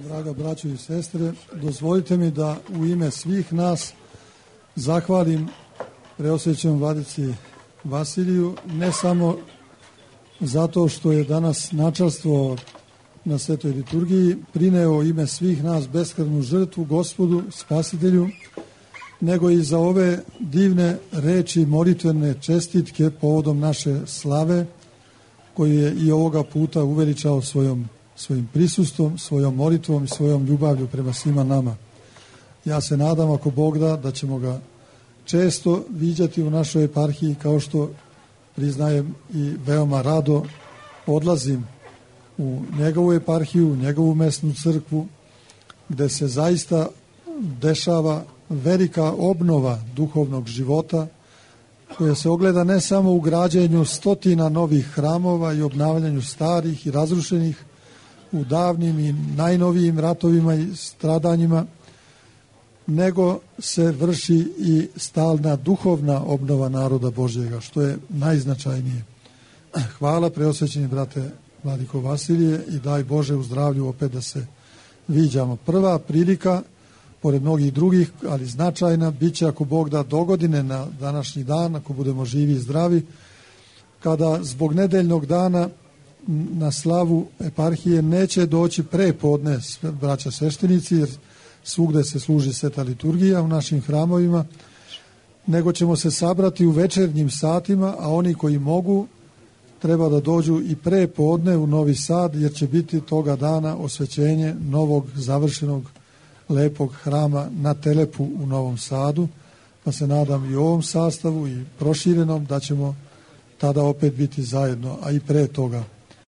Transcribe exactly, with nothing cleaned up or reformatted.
Draga braćo i sestre, dozvolite mi da u ime svih nas zahvalim preosvećenom vladici Vasiliju, ne samo zato što je danas načelstvo na svetoj liturgiji prineo ime svih nas beskrvnu žrtvu Gospodu, Spasitelju, nego i za ove divne reči molitvene čestitke povodom naše slave, koju je i ovoga puta uveličao svojom, svojim prisustvom, svojom molitvom i svojom ljubavlju prema svima nama. Ja se nadam, ako Bog da, da ćemo ga često viđati u našoj eparhiji, kao što priznajem i veoma rado odlazim u njegovu eparhiju, u njegovu mesnu crkvu, gde se zaista dešava velika obnova duhovnog života, koja se ogleda ne samo u građenju stotina novih hramova i obnavljanju starih i razrušenih u davnim i najnovijim ratovima i stradanjima, nego se vrši i stalna duhovna obnova naroda Božjega, što je najznačajnije. Hvala, preosvećeni brate Vladiko Vasilije, i daj Bože u zdravlju opet da se viđamo. Prva prilika, pored mnogih drugih, ali značajna, bit će, ako Bog da, dogodine na današnji dan, ako budemo živi i zdravi, kada zbog nedeljnog dana na slavu eparhije neće doći pre podne braća sveštenici, jer svugde se služi sveta liturgija u našim hramovima, nego ćemo se sabrati u večernjim satima, a oni koji mogu treba da dođu i pre podne u Novi Sad, jer će biti toga dana osvećenje novog završenog lepog hrama na Telepu u Novom Sadu, pa se nadam i u ovom sastavu i proširenom da ćemo tada opet biti zajedno, a i pre toga.